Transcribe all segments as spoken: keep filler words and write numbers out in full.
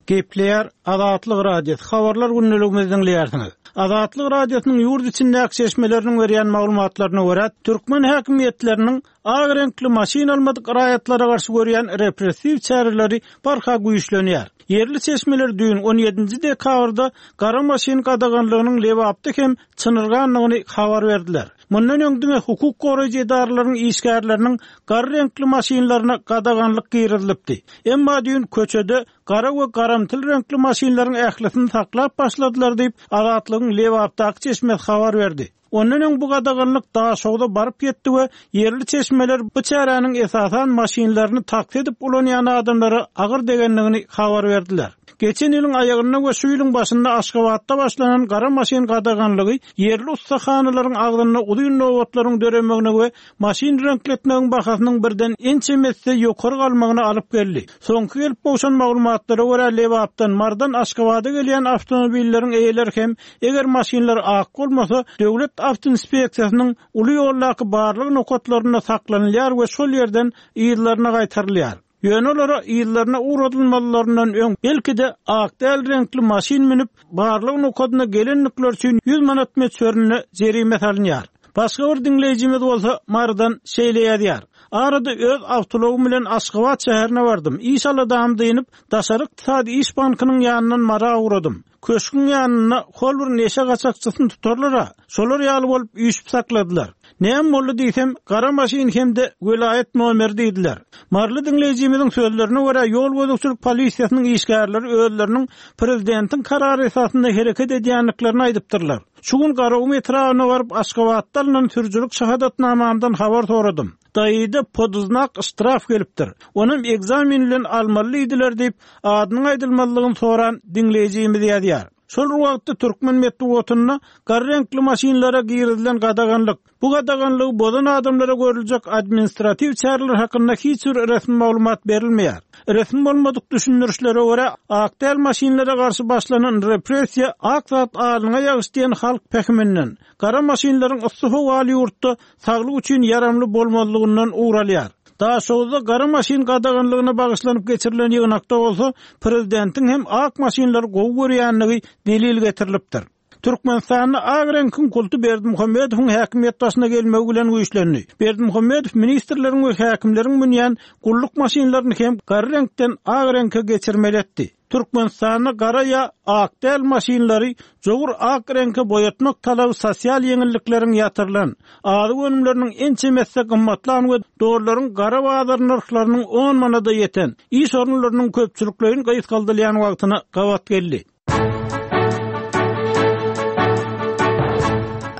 Gepleýär Azatlyk Radiosy, Habarlar gündeligimizi diňleýärsiňiz. Azatlyk Radiosynyň ýurt içindäki çeşmeleriniň berýän maglumatlaryna görä, türkmen häkimiýetleriniň ak reňkli maşyn almadyk raýatlara garşy görýän repressiw çäreleri barha güýçlenýär. Ýerli çeşmeler düýn on ýedinji dekabrda gara maşyn gadaganlygynyň Lebapda hem çynyrgandygyny habar berdiler. Mundan öň diňe hukuk goraýjy edaralaryň işgärleriniň gara reňkli maşynlaryna gadaganlyk girizilipdi. Emma düýn köçede gara we garamtyl reňkli maşynlaryň ählisini saklap başladylar diýip, Azatlygyň Lebapdaky çeşmesi habar berdi. Ondan öň bu gadaganlyk Daşogza baryp ýetdi we ýerli çeşmeler bu çäräniň esasan maşynlaryny taksi edip ulanýan adamlara agyr degendigini habar berdiler. Geçen ýylyň aýagynda we şu ýylyň başynda Aşgabatda başlanan gara maşyn gadaganlygy ýerli ussahanalaryň agzynda uzyn nobatlaryň döremegine we maşyn reňkletmegiň bahasynyň birden ençeme esse ýokary galmagyna alyp geldi. Soňky gelip gowşan maglumatlara görä Lebapdan, Mardan Aşgabada gelýän awtomobilleriň eýeleri hem eger maşynlar ak bolmasa, döwlet awtoinspeksiýasynyň uly ýoldaky barlyk nokatlarynda saklanylýar we şol ýerden yzlaryna gaýtarylýar. Ýöne olara yzlaryna ugradylmalaryndan öň belki-de ak däl reňkli maşyn münüp barlyk nokadyna gelenlikler üçin ýüz manat möçberinde jerime salynýar. Başga bir diňleýjimiz bolsa Mardan şeýle ýazýar. Arada öz awtologym bilen Aşgabat şäherine bardym. Iş aladam dynyp, Daşary ykdysady iş bankynyň ýanyndan Mara ugradım. Köşküň ýanynda hol bir neşe gaçakçysyny tutarlar-a. Şolar ýaly bolup üýşüp sakladylar. Näme boldy diýsem, gara maşyn hem-de welaýat nomeri diýdiler. Marly diňleýjimiziň sözlerine görä ýol gözegçilik polisiýasynyň işgärleri özleriniň prezidentiň karary esasynda hereket edýändiklerini aýdypdyrlar. Şu gün Garagum etrabyna baryp Aşgabatda alynan sürüjilik şahadatnamamdan habar soradym. Daýyda poduznak ştraf gelipdir. Onuň ekzamen bilen almaly diýdiler diýip, adynyň aýdylmazlygyny soran diňleýjimiz ýazýar. Şol wagtda türkmen metbugatynda gara reňkli maşynlara girizilen gadaganlyk, bu gadaganlygy bozan adamlara görüljek administratiw çäreler hakynda hiç bir resmi maglumat berilmeýär. Resmi bolmadyk düşündirişlere görä, ak däl maşynlara garşy başlanan repressiýa ak zat alyna ýagyş diýen halk pähiminden, gara maşynlaryň yssy howaly ýurtda saglyk üçin ýaramly bolmazlygyndan ugralýar. Daşoguzda gara maşyn gadaganlygyna bagyşlanyp geçirilen ýygnakda bolsa prezidentiň hem ak maşynlary gowy görýänligi delil getirilipdir. Türkmenistanda ak reňkiň kulty Berdimuhamedowyň häkimiýet başyna gelmegi bilen güýçlendi. Berdimuhamedow ministrleriň we häkimleriň münýän gulluk maşynlaryny hem gara reňkden ak reňke geçirmeli etdi. Türkmenistanda gara ýa ak däl maşynlary jowur ak reňke boýatmak talaby sosial ýeňillikleriň ýatyrylan, azyk önümleriniň ençeme esse gymmatlan we dollaryň gara bazar nyrhlarynyň on manada ýeten, iş orunlarynyň köpçülikleýin gysgaldylýan wagtyna gabat geldi.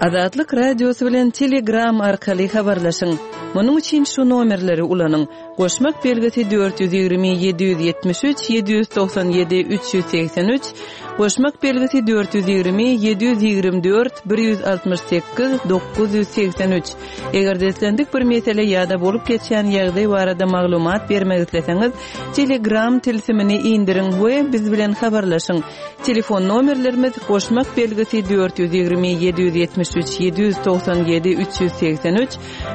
Azatlyk Radiosy bilen Telegram arkaly habarlaşyň. Munuň üçin şu nomerleri ulanyň. Goşmak belgisi dört ýüz ýigrimi ýedi ýüz ýetmiş üç ýedi ýüz togsan ýedi üç ýüz segsen üç, goşmak belgisi dört ýüz ýigrimi ýedi ýüz ýigrimi dört bir ýüz altmyş sekiz dokuz ýüz segsen üç. Eger-de islendik bir mesele ýa-da bolup geçýän ýagdaý barada maglumat bermek isleseňiz, Telegram tilsimini indiriň we biz bilen habarlaşyň. Telefon nomerlerimiz goşmak belgisi dört ýüz ýigrimi ýedi ýüz ýetmiş üç ýedi ýüz togsan ýedi üç ýüz segsen üç,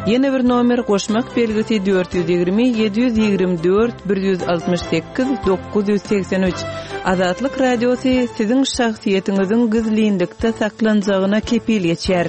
ýene bir nomer goşmak belgisi dört ýüz ýigrimi ýedi ýüz ýigrimi dört bir ýüz altmyş sekiz dokuz ýüz segsen üç. Azatlyk Radiosy siziň şahsyýetiňiziň gizlinlikde saklanjagyna kepil geçýär.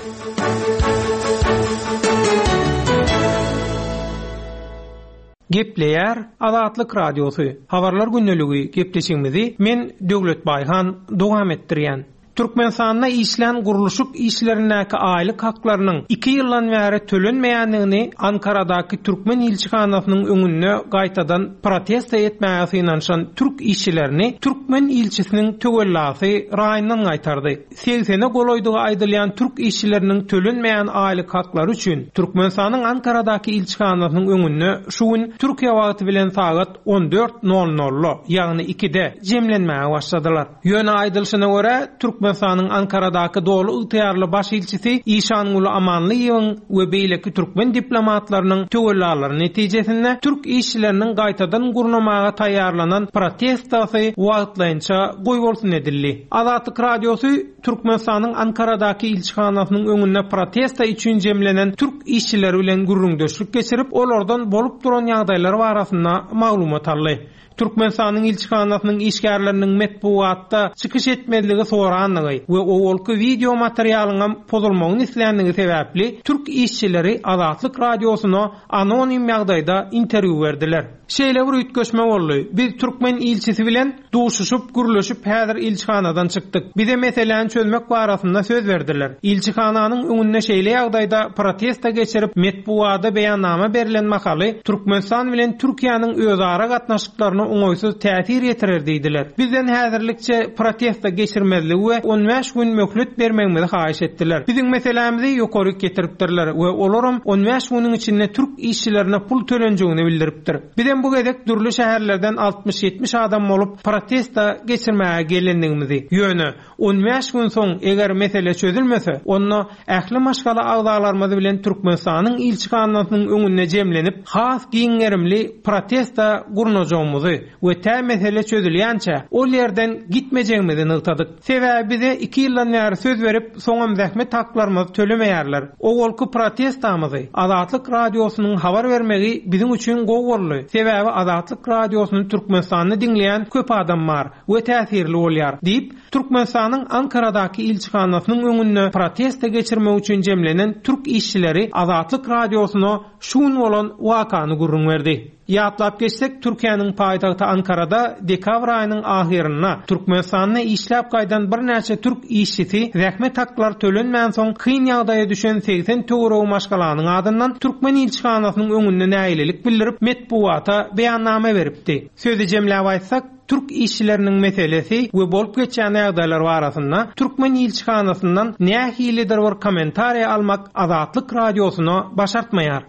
Gepleýär Azatlyk Radiosy. Habarlar gündeligi gepleşigimizi men Döwlet Baýhan dowam etdirýän. Türkmenistanda işlän gurluşyk işlerindäki aýlyk haklarynyň iki ýyldan bäri tölenmeýändigini Ankaradaky Türkmen ilçihanasynyň öňünde gaýtadan protest etmäge synanyşan türk işçilerini Türkmen ilçisiniň töwellasy raýyndan gaýtardy. Segsene golaýdygy aýdylýan türk işçileriniň tölenmeýän aýlyk haklary üçin Türkmenistanyň Ankaradaky ilçihanasynyň öňünde şu gün Türkiýe wagty bilen sagat on dört nol nolda, ýagny ikide jemlenmäge başladylar. Ýöne aýdylyşyna görä, Türkmen Türkmenistanyň Ankaradaky doly ygtyýarly baş ilçisi Işanguly Amanlyýewiň we beýleki türkmen diplomatlarynyň töwellalary netijesinde türk işçileriniň gaýtadan gurnamaga taýýarlanan protestasy wagtlaýynça goýbolsun edildi. Azatlyk Radiosy Türkmenistanyň Ankaradaky ilçihanasynyň öňünde protesta üçin jemlenen türk işçileri bilen gürrüňdeşlik geçirip, olardan bolup duran ýagdaýlar barasynda maglumat aldy. Türkmenistanyň ilçihanasynyň işgärleriniň metbugatda çykyş etmezligi sorandygy we owalky wideo materialynyň pozulmagyny isländigi sebäpli türk işçileri Azatlyk Radiosyna anonim ýagdaýda interwýu berdiler. Şeýle bir üýtgeşme boldy. Biz türkmen ilçisi bilen duşuşyp, gürleşip häzir ilçihanadan çykdyk. Bize meseläni çözmek barasynda söz berdiler. Ilçihananyň öňünde şeýle ýagdaýda protesta geçirip metbugada beýannama berilen mahaly Türkmenistan bilen Türkiýäniň özara gatnaşyklaryna oňaýsyz täsir ýetirer diýdiler. Bizden häzirlikçe protesta geçirmezligi we on bäş gün möhlet bermegimizi haýyş etdiler. Biziň meselämizi ýokary getiripdirler we olaram on bäş günüň içinde türk işçilerine pul tölenjegini bildiripdir. Bizem bu gezek dürli şäherlerden altmyş ýetmiş adam bolup protesta geçirmäge gelendigimizi, ýöne on bäş gün soň eger mesele çözülmese, onda ähli maşgala agzalarymyz bilen Türkmenistanyň ilçihanasynyň öňünde jemlenip, has giň gerimli protesta gurnajagymyzy we tä mesele çözülýänçä ol ýerden gitmejegimizi nygtadyk. Sebäbi bize iki ýyldan bäri söz berip, soňam zähmet haklarymyzy tölemeýärler. Owalky protestamyzy Azatlyk Radiosynyň habar bermegi biziň üçin gowy boldy. Sebäbi Azatlyk Radiosyny Türkmenistanda diňleýän köp adam bar we täsirli bolýar diýip, Türkmenistanyň Ankaradaky ilçihanasynyň öňünde protesta geçirmek üçin jemlenen türk işçileri Azatlyk Radiosyna şu gün bolan wakany gürrüň berdi. Ýatlap geçsek, Türkiýäniň paýtagty Ankarada dekabr aýynyň ahyrynda Türkmenistanda işläp gaýdan birnäçe türk işçisi zähmet haklary tölenmän soň kyn ýagdaýa düşen segsen töweregi maşgalanyň adyndan türkmen ilçihanasynyň öňünde nägilelik bildirip metbugata beýannama beripdi. Sözi jemläp aýtsak, türk işçileriniň meselesi we bolup geçýän ýagdaýlar barasynda türkmen ilçihanasyndan nähilidir bir kommentariýa almak Azatlyk Radiosyna başartmaýar.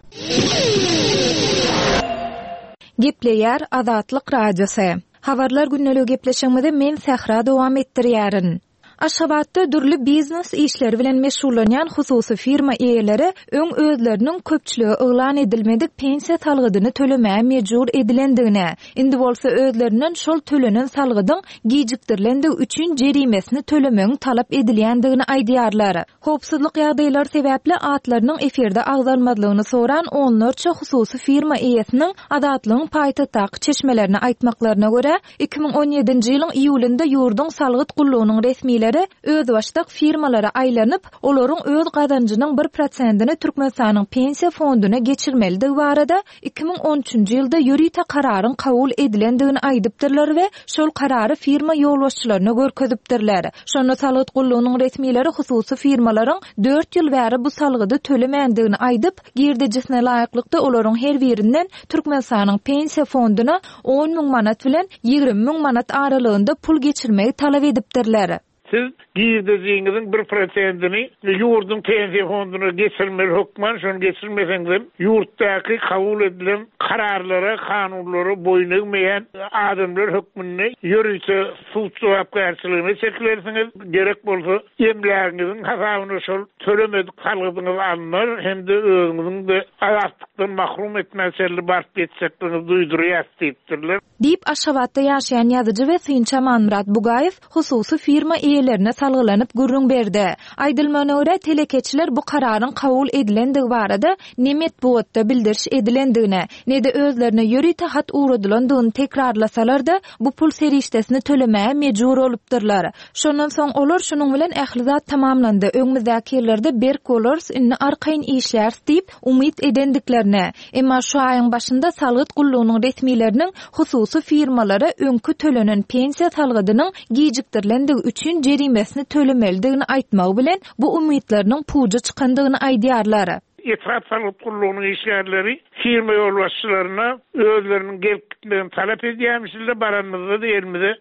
Gepleýär Azatlyk Radiosy. Habarlar günlügi gepleşigimizi men Sähra dowam etdirýärin. Aşgabatda dürli biznes işleri bilen meşgullanýan hususy firma eýeleri öň özleriniň köpçülige yglan edilmedik pensiýa salgydyny tölemäge mejbur edilendigine, indi bolsa özlerinden şol tölenen salgydyň gijikdirilendigi üçin jerimesini tölemegiň talap edilýändigini aýdýarlar. Howpsuzlyk ýagdaýlary sebäpli atlarynyň efirde agzalmazlygyny soran onlarça hususy firma eýesiniň Azatlygyň paýtagtdaky çeşmelerini aýtmaklaryna görä, iki müň on ýedinji ýylyň iýulynda ýurduň salgyt gullugynyň resmileri özbaşdak firmalara aýlanyp, olaryň öz gazanjynyň bir prosentini Türkmenistanyň pensiýa fonduna geçirmelidigi barada iki müň on üçünji ýylda ýörite kararyň kabul edilendigini aýdypdyrlar we şol karary firma ýolbaşçylaryna görkezipdirler. Şonda salgyt gullugynyň resmileri hususy firmalaryň dört ýyl bäri bu salgydy tölemändigini aýdyp, girdejisine laýyklykda olaryň her birinden Türkmenistanyň pensiýa fonduna on müň manat bilen ýigrimi müň manat aralygynda pul geçirmegi talap edipdirler. Siz girdejiňiziň bir prosentini ýurduň pensiýa fonduna geçirmeli hökman, şonu geçirmeseňiz ýurtdaky kabul edilen kararlara, kanunlara boýun egmeýän adamlar hökmünde ýörite sud jogapkärçiligine çekilersiňiz. Gerek bolsa emlägiňiziň hasabyna şol tölemedik salgydyňyz alnar hem-de özüňiziň de azatlykdan mahrum etmäçerli baryp ýetjekdigiňizi duýdurýar diýipdirler. Diýip Aşgabatda ýaşaýan ýazyjy we synçy Amanmyrat Bugaýew hususy firma eýelerine salgylanyp gürrüň berdi. Aýdylmagyna görä telekeçiler bu kararyň kabul edilendigi barada ne metbugatda bildiriş edilendigine, ne de özlerine ýörite hat ugradylandygyny tekrarlasalar-da bu pul serişdesini tölemäge mejbur bolupdyrlar. Şondan soň olar şunuň bilen ähli zat tamamlandy. Öňümizdäki ýyllarda berk bolarys, indi arkaýyn işläris diýip umyt edendiklerine. Emma şu aýyň başynda salgyt gullugynyň resmileriniň hususy firmalara öňkü tölenen pensiýa salgydynyň gijikdirilendigi üçin jerimesini tölemelidigini aýtmagy bilen bu umytlarynyň puja çykandygyny aýdýarlar. Etrap salgyt gullugynyň işgärleri firma ýolbaşçylaryna özleriniň gelip gitmegini talap edýärmişler, baranymyzda elimize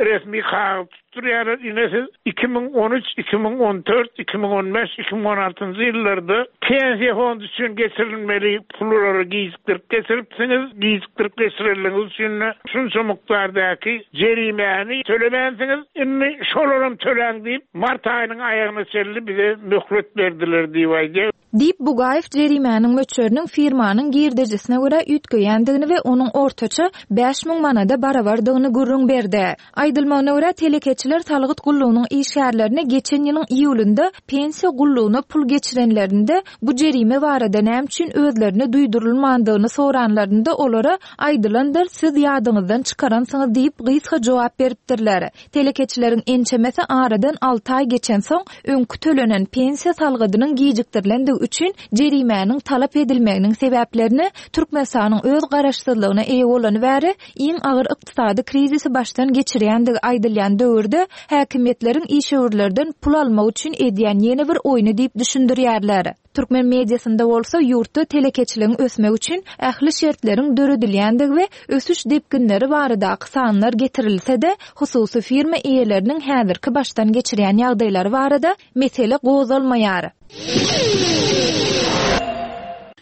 resmi kagyz tutdurýarlar. Ine siz iki müň on üç, iki müň on dört, iki müň on beş, iki müň on altynjy ýyllarda pensiýa fondy üçin geçirilmeli pullary gijikdirip geçiripsiňiz, gijikdirip geçirenligiňiz üçin şunça mukdardaky jerimäni tölemänsiňiz. Indi şolaram töläň diýip, mart aýynyň aýagyna çenli bize möhlet berdiler diýip aýdýar. Diýip Bugaýew jerimäniň möçberiniň firmanyň girdejisine görä üýtgeýändigini we onuň ortaça bäş müň manada barabardygyny gürrüň berdi. Aýdylmagyna görä telekeçiler salgyt gullugynyň işgärlerine geçen ýylyň iýulynda pensiýa gullugyna pul geçirenlerinde bu jerime barada näme üçin özlerine duýdurylmandygyny soranlarynda olara aýdylandyr, siz ýadyňyzdan çykaransyňyz diýip gysga jogap beripdirler. Telekeçileriň ençemesi aradan alty aý geçen soň öňkü tölenen pensiýa salgydynyň gijikdirilendigi üçin jerimäniň talap edilmeginiň sebäplerini Türkmenistanyň öz garaşsyzlygyna eýe bolany bäri iň agyr ykdysady krizisi başdan geçirýändigi aýdylýan döwürde häkimiýetleriň işewürlerden pul almak üçin edýän ýene bir oýny diýip düşündirýärler. Türkmen mediasynda bolsa ýurtda telekeçiligiň ösmegi üçin ähli şertleriň döredilýändigi we ösüş depginleri baradaky sanlar getirilse-de, hususy firma eýeleriniň häzirki başdan geçirýän ýagdaýlary barada mesele gozgalmaýar.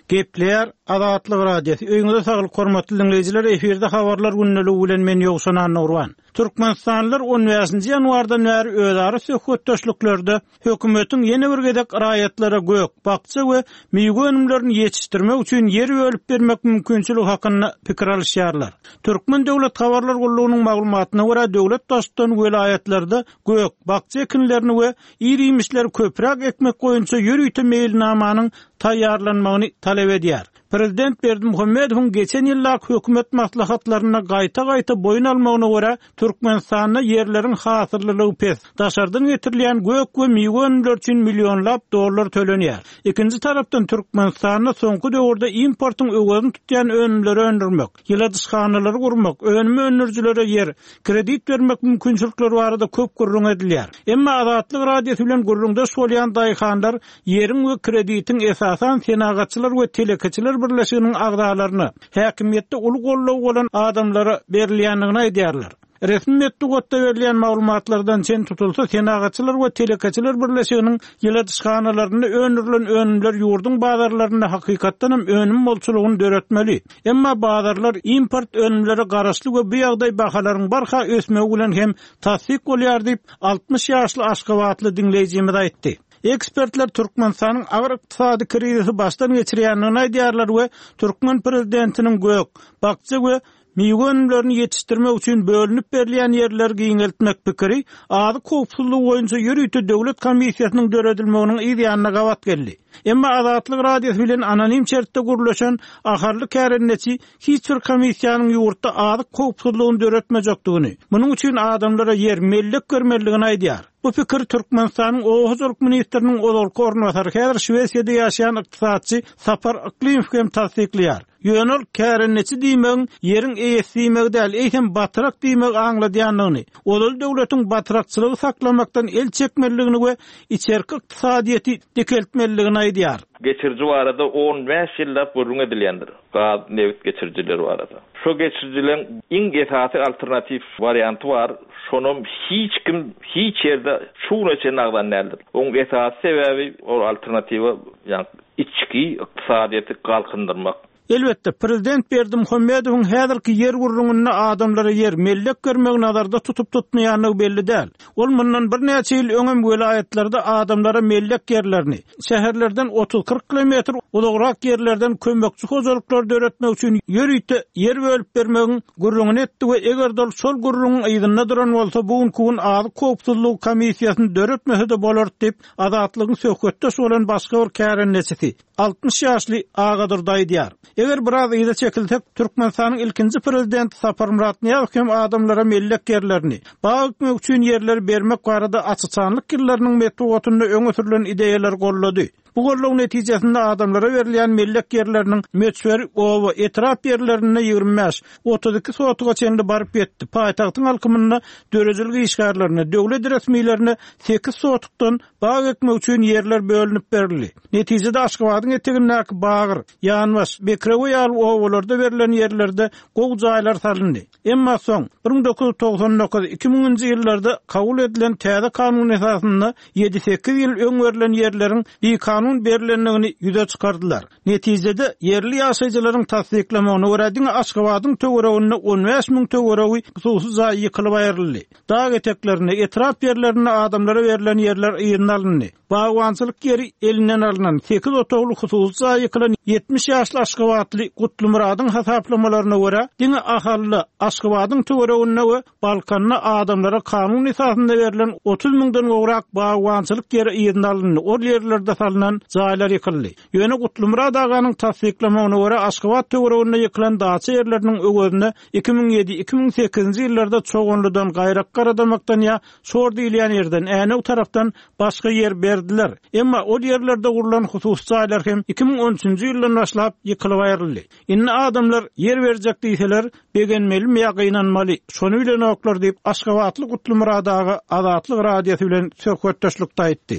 Gepler Azatlyk Radiosy. Öýüňize saglyk hormatly dinleýjiler, efirde habarlar gündeligi bilen men Ýowşan Annurwan. Türkmenistanlylar on bäşinji ýanwardan bäri özara söhbetdeşliklerde hökümetiň ýene bir gezek raýatlara gök, bakja we miwe önümlerini ýetişdirmek üçin ýer bölüp bermek mümkinçiligi hakynda pikir alyşýarlar. Türkmen Döwlet Habarlar Gullugynyň maglumatyna görä döwlet baştutan welaýatlarda gök, bakja ekinlerini we ir-iýmişleri köpräk ekmek boýunça ýörite meýilnamanyň taýýarlanmagyny talap edýär. Prezident Berdimuhamedowyň geçen ýyldaky hökümet maslahatlarynda gaýta-gaýta boýun almagyna görä Türkmenistanda ýerleriň hasyllylygy pes, daşardan getirilýän gök we miwe önümleri üçin millionlap dollar tölenýär. Ikinji tarapdan Türkmenistanda soňky döwürde importyň öwezini tutýan önümleri öndürmek, ýyladyşhanalary gurmak, önüm öndürijilere ýer, kredit bermek mümkinçilikleri barada köp gürrüň edilýär. Emma Azatlyk Radiosy bilen gürrüňdeş bolýan daýhanlar ýeriň we kreditiň esasan senagatçylar we telekeçiler birleşiginiň agzalaryna, häkimiýetde uly goldaw bolan adamlara berilýändigini aýdýarlar. Resmi metbugatda berilýän maglumatlardan çen tutulsa, senagatçylar we telekeçiler birleşiginiň ýyladyşhanalarynda öndürilen önümler ýurduň bazarlarynda hakykatdan hem önüm bolçulygyny döretmeli. Emma bazarlar import önümlere garaşly we bu ýagdaý bahalaryň barha ösmegi bilen hem tassyk bolýar diýip, altmyş ýaşly Aşgabatly dinleýjimiz aýtdy. Ekspertler Türkmenistanyň agyr ykdysady krizisi başdan geçirýändigini aýdýarlar we türkmen prezidentiniň gök, bakja we miwe önümlerini ýetişdirmek üçin bölünip berilýän ýerleri giňeltmek pikiri azyk howpsuzlygy boýunça ýörite döwlet komissiýasynyň döredilmeginiň yz ýanyna gabat geldi. Emma Azatlyk Radiosy bilen anonim şertde gürleşen Aharly kärendeçi hiç bir komissiýanyň ýurtda azyk howpsuzlygyny döretmejekdigini, munuň üçin adamlara ýer mellek bermelidigini aýdýar. Bu pikir Türkmenistanyň Oba hojalyk ministriniň ozalky orunbasary häzir Şwesiýada ýaşaýan ykdysatçy Sapar Yklymow hem tassyklaýar. Ýöne ol kärendeçi diýmegiň ýeriň eýesi diýmegi däl, eýsem batyrak diýmegi aňladýandygyny, ozal döwletiň batyrakçylygy saklamakdan el çekmelidigini we içerki ykdysadyýeti dikeltmelidigini aýdýar. Geçiriji barada on bäş ýyllap gürrüň edilýändir. Gaz, nebit geçirijileri barada. Şu geçirijilerin iň esasy alternatif warianty bar. Şonam hiç kim hiç ýerde şu güne çenli agzan däldir. Oň esasy sebäbi ol alternatiwa, ýagny içki ykdysadyýeti galkyndyrmak. Elbetde, Prezident Berdimuhamedowyň häzirki ýer gürrüňinde adamlara ýer mellek bermegi nazarda tutup tutmaýandygy belli däl. Ol mundan birnäçe ýyl öňem welaýatlarda adamlara mellek ýerlerini, şäherlerden otuz kyrk kilometr uzagrak ýerlerden kömekçi hojalyklar döretmek üçin ýörite ýer bölüp bermegiň gürrüňini etdi we eger ol şol gürrüňiň yzynda duran bolsa, bu günki gün azyk howpsuzlygy komissiýasyny döretmese-de bolar diýip, Azatlygyň söhbetdeş bolan başga bir kärendeçisi altmyş ýaşly Agadurdy aýdýar. Eger biraz yza çekilsek, Türkmenistanyň ilkinji prezidenti Saparmyrat Nyýazow hem adamlara mellek ýerlerini, bag ekmek üçin ýerleri bermek barada açyçanlyk ýyllarynyň metbugatynda öňe sürülen ideýalar gollady. Bu golluň netijesinde adamlara berilýän mellek ýerleriniň möçberi oba etrap ýerlerinde ýigrimi bäş, otuz iki sotuga çenli baryp ýetdi. Paýtagtyň halkymynda döredijilik işgärlerine, döwlet resmilerine sekiz sotukdan bag ekmek üçin ýerler bölünip berildi. Netijede Aşgabadyň etegindäki Bagyr, Ýanbaş, Bekrewe ýaly obalarda berlen ýerlerde gow jaýlar salyndy. Emma soň bir müň dokuz ýüz togsan dokuz iki müňünji ýyllarda kabul edilen täze kanun esasynda ýedi sekiz ýyl öň berlen ýerleriň bikanun berilendigini ýüze çykardylar. Netijede ýerli ýaşaýjylaryň tassyklamagyna görä diňe Aşgabadyň töwereginde on bäş müň töweregi hususy jaý ýykylyp aýryldy. Dag eteklerinde, etrap ýerlerinde adamlara berlen ýerler yzyna alyndy. Bagbançylyk ýeri elinden alynan sekiz otagly hususy jaý ýykylan ýetmiş ýaşly Aşgabatly Gutlymyradyň hasaplamalaryna görä diňe Ahally, Aşgabadyň töwereginde we Balkanda adamlara kanun esasynda berlen otuz müňden gowrak bagbançylyk ýeri yzyna alyndy. Ol ýerlerde salynan jaýlar ýykyldy. Ýöne Gutlymyrat aganyň tassyklamagyna görä Aşgabat töwereginde ýykylan daça ýerleriniň öwezine iki müň ýedi, iki müň sekizinji ýyllarda Çoganlydan, Gaýrak Garadamakdan ýa Şor diýilýän ýerden, Änew tarapdan başga ýer berdiler. Emma ol ýerlerde gurlan hususy jaýlar hem iki müň on üçünji ýyldan başlap ýykylyp aýryldy. Indi adamlar ýer berjek diýseler, begenmelimi ýa gynanmaly, şony bilenoklar diýip Aşgabatly Gutlymyrat aga Azatlyk radiosy bilen söhbetdeşlikde aýtdy.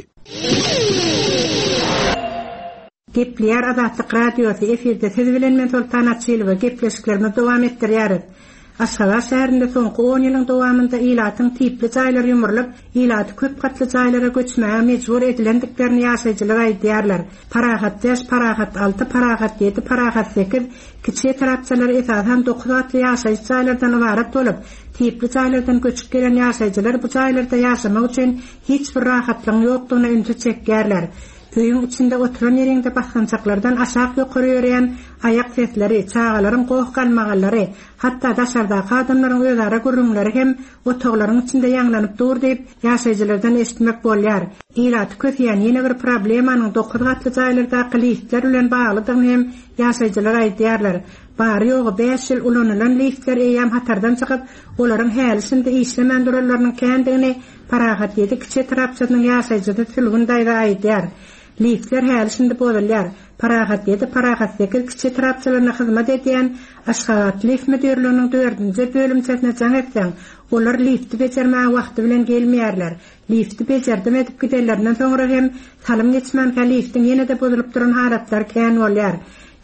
Gepleýär Azatlyk radiosy efirde siz bilen men Soltan Açylowa gepleşiklerimizi dowam etdirýäris. Aşgabat şäherinde soňky on ýylyň dowamynda ilatyň tipli jaýlar ýumrulyp, ilaty köp gatly jaýlara göçmäge mejbur edilendiklerini ýaşaýjylar aýdýarlar. Parahat bäş, Parahat alty, Parahat ýedi, Parahat sekiz kiçi etrapçalar esasan dokuz gatly ýaşaýjy jaýlardan ybarat bolup, tipli jaýlardan göçüp gelen ýaşaýjylar bu jaýlarda ýaşamak üçin hiç bir rahatlygyň ýokdugyna ünsi çekýärler. Öýüň içinde oturan ýerinde basgançaklardan aşak ýokary ýörýän aýak sesleri, çagalaryň goh galmagallary, hatda daşardaky adamlaryň özara gürrüňleri hem otaglaryň içinde ýaňlanyp dur diýip, ýaşaýjylardan eşitmek bolýar. Ilaty kösýän ýene bir problemanyň dokuz gatly jaýlardaky liftler bilen baglydygyny hem ýaşaýjylar aýdýarlar. Bary ýogy bäş ýyl ulanylan liftler eýýäm hatardan çykyp, olaryň häli şindi işlemän duranlarynyň kändigini Parahat ýedi kiçi etrapçasynyň ýaşaýjysy Sülgün daýza aýdýar. Liftler häli şindi bozulýar. Parahat ýedi, Parahat sekiz kiçi etrapçalaryna hyzmat edýän Aşgabat lift müdirliginiň dördünji bölümçesine jaň etseň, olar lifti bejermäge wagty bilen gelmeýärler. Lifti bejerdim edip gidenlerinden soňra hem salym geçmänkä liftiň ýene-de bozulyp duran halatlar kän bolýar.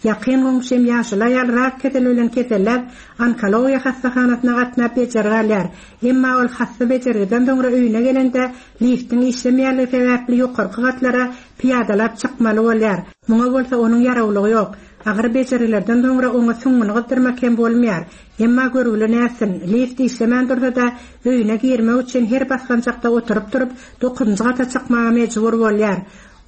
Ýakyn goňşym ýaşly aýal rak keseli bilen keselläp, onkologiýa hassahanasyna gatnap bejergi alýar. Emma ol hassa bejergiden soňra öýüne gelende liftiň işlemeýänligi sebäpli ýokarky gatlara piýadalap çykmaly bolýar. Muňa bolsa onuň ýarawlygy ýok. Agyr bejergilerden soňra oňa süňňüni gyzdyrmak hem bolmaýar. Emma görgüli nätsin, lift işlemän dursa-da öýüne girmek üçin her basgançakda oturyp durup dokuzynjy gata çykmaga mejbur bolýar.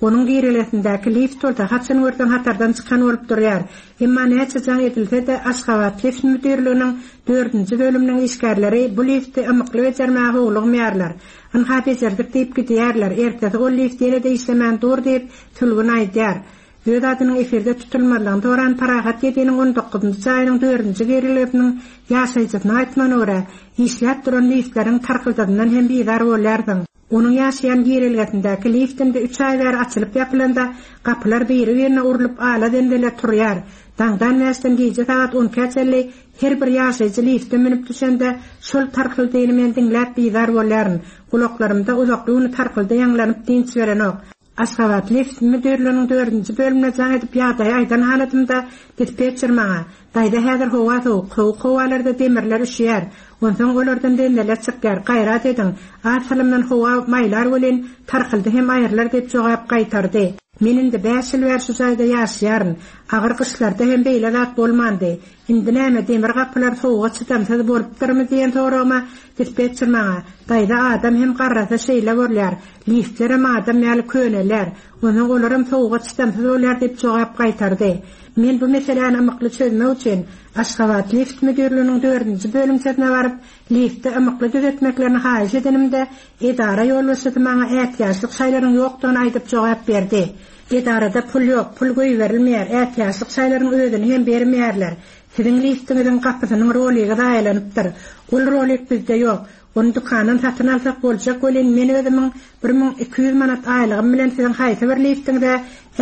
Onuň girelesindäki lift bolsa haçan görseň hatardan çykan bolup durýar. Emma näçe jaň edilse-de Aşgabat lift müdirliginiň dördünji bölüminiň işgärleri bu lifti ymykly bejermäge howlugmaýarlar. Ynha bejerdik diýip gidýärler. Ertesi ol lift ýene-de işlemän dur diýip Sülgün aýdýar. Öz adynyň efirde tutulmazlygyny soran Parahat ýediniň on dokuzynjy jaýynyň dördünji girelesiniň ýaşaýjysyna aýtmagyna görä, işläp duran liftleriň tarkyldadyndan hem bizar bolýarsyň. Onuň ýaşaýan girelgesindäki liftinde üç aý bäri açylyp ýapylanda gapylar biri-birine urlup ala zenzele turýar. Daňdan bäşden gije sagat on ikä çenli her bir ýaşaýjy lifte münüp düşende şol tarkyldyny men diňläp bizar bolýaryn. Gulaklarymda uzakly güni tarkyldy ýaňlanyp dinç berenok. Aşgabat lift müdirliginiň dördünji bölümine jaň edip ýagdaýy aýdan halatymda dispetçer maňa, Daýza häzir howa sowuk, sowuk howalarda demirler üşýär. Onsoň olardan zenzeler çykýar. Gaýrat ediň. Az salymdan howa maýlar welin tarkyldy hem aýrylar diýip jogap gaýtardy. Men indi bäş ýyl bäri şu jaýda ýaşaýaryn. Agyr gyşlarda hem beýle zat bolmandy. Indi näme demir gapylar sowuga çydamsyz bolupdyrmy diýen soragyma dispetçer maňa, Daýza adam hem garrasa şeýle bolýar. Liftler hem adam ýaly köneler. Onsoň olar hem sowuga çydamsyz bolýar diýip jogap gaýtardy. Men bu meseläni ymykly çözmek üçin Aşgabat lift müdirliginiň dördünji bölümçesine baryp, lifti ymykly düzetmeklerini haýyş edenimde edara ýolbaşçysy maňa ätiýaçlyk şaýlaryň ýokdugyny aýdyp jogap berdi. Edarada pul ýok, pul goýberilmeýär, ätiýaçlyk şaýlaryň özüni hem bermeýärler. Siziň liftiňiziň gapysynyň roligi zaýalanypdyr. Ol rolik bizde ýok. Ony dükandan satyn alsak boljak welin men özümiň bir müň iki ýüz manat aýlygym bilen siziň haýsy bir liftiňize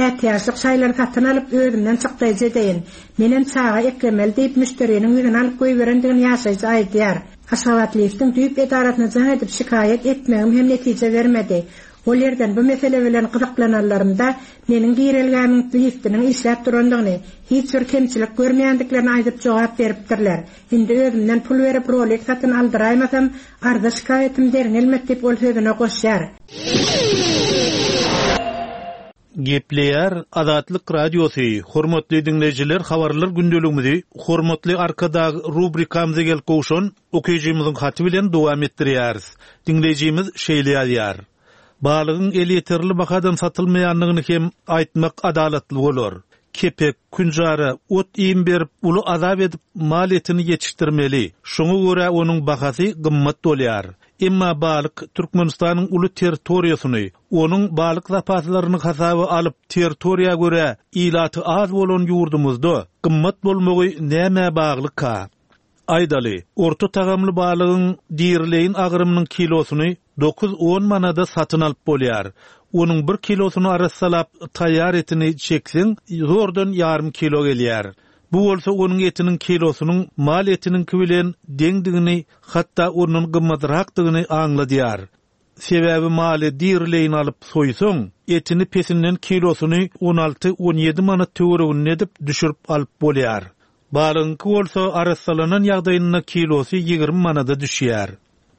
ätiýaçlyk şaýlary satyn alyp özümden çykdaýjy edeýin. Menem çaga eklemeli diýip müşderiniň ýüzüni alyp goýberendigini ýaşaýjy aýdýar. Aşgabat liftiň düýp edarasyna jaň edip şikaýat etmegim hem netije bermedi. Ol ýerden bu mesele bilen gyzyklananlarymda meniň girelgämiň liftiniň işläp durandygyny, hiç bir kemçilik görmeýändiklerini aýdyp jogap beripdirler. Indi özümden pul berip rolik satyn aldyraýmasam, arza şikaýatym derňelmez diýip ol sözüne goşýar. Gepleýär Azatlyk Radiosy, hormatly diňleýjiler, habarlar gündeligimizi hormatly Arkadag rubrikamyza gelip gowşan okyjymyzyň haty bilen dowam etdirýäris. Diňleýjimiz şeýle ýazýar. Balygyň elýeterli bahadan satylmaýandygyny hem aýtmak adalatly bolar. Kepek, künjara, ot iým berip, uly azap edip mal etini ýetişdirmeli. Şoňa görä onuň bahasy gymmat bolýar. Emma balyk Türkmenistanyň uly territoriýasyny, onuň balyk zapaslaryny hasaba alyp, territoriýa görä ilaty az bolan ýurdumyzda gymmat bolmagy nämä baglyka? Aýdaly, orta tagamly balygyň dirileýin agramynyň kilosyny dokuz on manada satyn alyp bolýar. Onuň bir kilosyny arassalap taýýar etini çekseň, zordan ýarym kilo gelýär. Bu bolsa onuň etiniň kilosynyň mal etiniňki bilen deňdigini, hatda onuň gymmatrakdygyny aňladýar. Sebäbi maly dirileýin alyp soýsaň, etini pesinden kilosyny on alty on ýedi manat töwereginde edip düşürip alyp bolýar. Balygyňky bolsa arassalanan ýagdaýynda kilosy ýigrimi manada düşýär.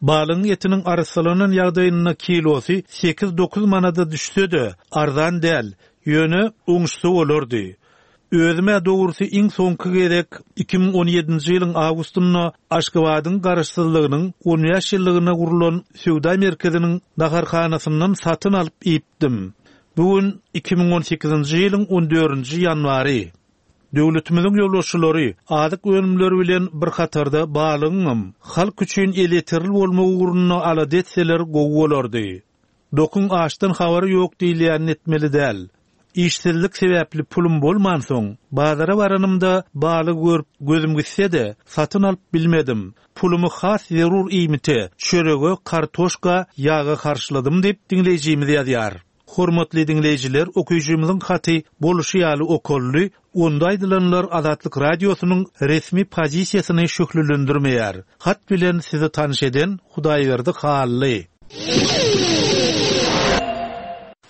Balygyň etiniň arassalanan ýagdaýynda kilosy sekiz dokuz manada düşse-de arzan däl, ýöne oňuşsa bolardy. Özüme dogrusy iň soňky gezek iki müň on ýedinji ýylyň awgustynda Aşgabadyň garaşsyzlygynyň on bäş ýyllygyna gurulan söwda merkeziniň naharhanasyndan satyn alyp iýipdim. Bu gün iki müň on sekizinji ýylyň on dördünji ýanwary. Döwletimiziň ýolbaşçylary azyk önümleri bilen bir hatarda balygyňam halk üçin elýeterli bolmagy ugrunda alada etseler gowy bolardy. Dokuň açdan habary ýok diýilýän etmeli däl. Işsizlik sebäpli pulum bolmansoň, bazara baranymda balygy görüp gözüm gitse-de satyn alyp bilmedim. Pulumy has zerur iýmite, çörege, kartoşka, ýaga harçladym diýip diňleýjimiz ýazýar. Hormatly diňleýjiler, okyjymyzyň haty boluşy ýaly okully, onda aýdylanlar Azatlyk Radiosynyň resmi pozisiýasyny şöhlelendirmeýär. Hat bilen sizi tanyş eden Hudaýberdi Hally.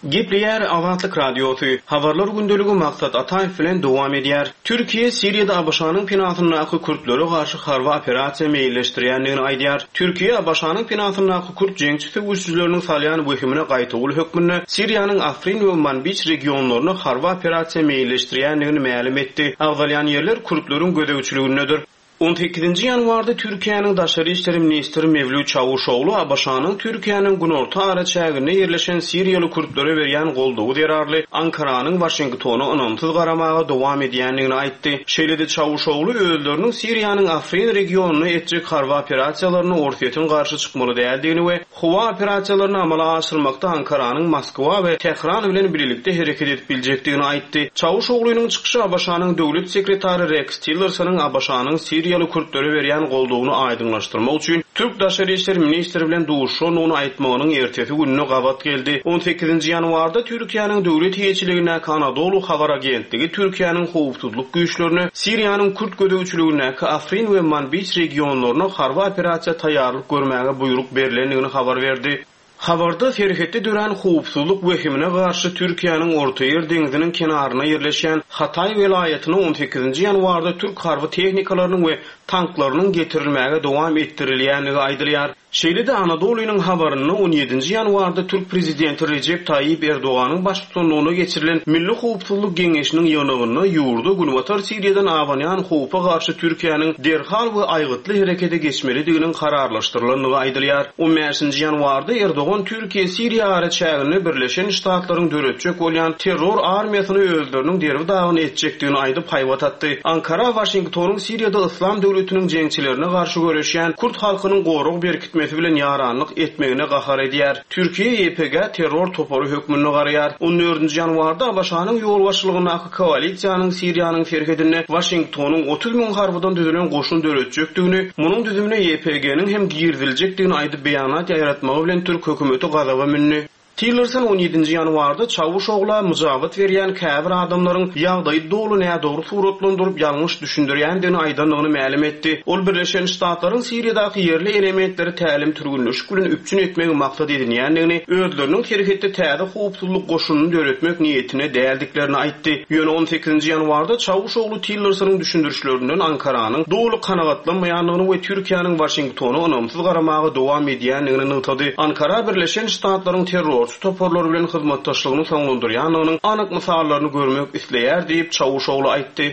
Gepleýär Azatlyk Radiosy. Habarlar gündeligi Maksat Ataýew bilen dowam edýär. Türkiýe Siriýada ABŞ-nyň penasyndaky kürtlere garşy harby operasiýa meýilleşdirýändigini aýdýar. Türkiýe ABŞ-nyň penasyndaky kürt jeňçi söweşçileriniň salýan wehimine gaýtawul hökmünde Siriýanyň Afrin we Manbiç regionlaryna harby operasiýa meýilleşdirýändigini mälim etdi. Agzalýan ýerler kürtleriň gözegçiligindedir. On sekizinji ýanwarda Türkiýäniň daşary işleri ministri Mewlüt Çawuşoglu ABŞ-nyň Türkiýäniň günorta araçäginde ýerleşen Siriýaly kürtlere berýän goldawy zerarly Ankaranyň Waşingtona ynamsyz garamaga dowam edýändigini aýtdy. Şeýle-de Çawuşoglu özleriniň Siriýanyň Afrin regionyna etjek harby operasiýalaryny Orsýetiň garşy çykmaly däldigini we howa operasiýalaryny amala aşyrmakda Ankaranyň Moskwa we Tehran bilen birlikde hereket edip biljekdigini aýtdy. Çawuşoglunyň çykyşy ABŞ-nyň döwlet sekretary Rex Tillersonyň ABŞ-nyň Siriýaly kürtlere berýän goldawyny aýdyňlaşdyrmak üçin Türk Daşary İşler ministri bilen duşuşandygyny aýtmagynyň ertesi gününe gabat geldi. On sekizinji ýanwarda Türkiýäniň döwlet eýeçiligindäki Anadolu habar agentligi Türkiýäniň howpsuzlyk güýçlerine Siriýanyň kürt gözegçiligindäki Afrin we Manbiç regionlaryna harby operasiýa taýýarlyk görmäge buýruk berilendigini habar berdi. Habarda serhetde dörän howpsuzlyk wehimine garşy Türkiýäniň Ortaýer deňziniň kenaryna ýerleşen Hatay welaýatyna on sekizinji ýanwarda türk harby tehnikalarynyň we tanklarynyň getirilmäge dowam etdirilýändigi aýdylýar. Şeýle-de Anadolunyň habarynda on ýedinji ýanwarda Türk prezidenti Recep Tayyip Erdoganyň baştutanlygyna geçirilen Milli Howpsuzlyk Geňeşiniň ýygnagynda ýurda Günbatar Siriýadan abanýan howpa garşy Türkiýäniň derhal we aýgytly herekete geçmelidiginiň kararlaşdyrylandygy aýdylýar. on bäşinji ýanwarda Erdogan Türkiýe Siriýa araçäginde Birleşen Ştatlaryň döretjek bolýan terror armiýasyny özleriniň derbi dagyny etjekdigini aýdyp haýbat atdy. Ankara Waşingtonyň Siriýada Yslam döwletine döwletiniň jeňçilerine garşy göreşýän kürt halkynyň gorag berkitmesi bilen ýaranlyk etmegine gahar edýär. Türkiýe Y P G terror topary hökmünde garaýar. On dördünji ýanwarda ABŞ-nyň ýolbaşçylygyndaky koalisiýanyň Siriýanyň serhedinde Waşingtonyň otuz müň harbydan düzülen goşun döretjekdigini, munuň düzümine Y P G-niň hem giriziljekdigini aýdyp beýanat ýaýratmagy bilen türk hökümeti gazaba mündi. Tillerson on ýedinji ýanwarda Çawuşogla myjabat berýän käbir adamlaryň ýagdaýy doly nädogry suratlandyryp ýalňyş düşündirýändigini aýdandygyny mälim etdi. Ol Birleşen Ştatlaryň Siriýadaky ýerli elementleri tälim türgünleşik bilen üpjün etmegi maksat edinýändigini, özleriniň serhetde täze howpsuzlyk goşunyny döretmek niýetine däldiklerini aýtdy. Ýöne on sekizinji ýanwarda Çawuşoglu Tillersonyň düşündirişlerinden Ankaranyň doly kanagatlanmaýandygyny we Türkiýäniň Waşingtona ynamsyz garamaga dowam edýändigini nygtady. Ankara Birleşen Ştatlaryň terrorçy toparlary bilen hyzmatdaşlygyny soňlandyrýandygynyň anyk mysallaryny görmek isleýär diýip Çawuşoglu aýtdy.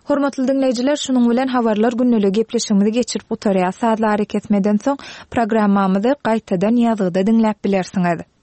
Hormatly diňleýjiler, şunuň bilen habarlar günlügi gepleşigimizi geçirip gutarýar. Sazlary kesmeden soň programmamyzy gaýtadan ýazgyda diňläp bilersiňiz.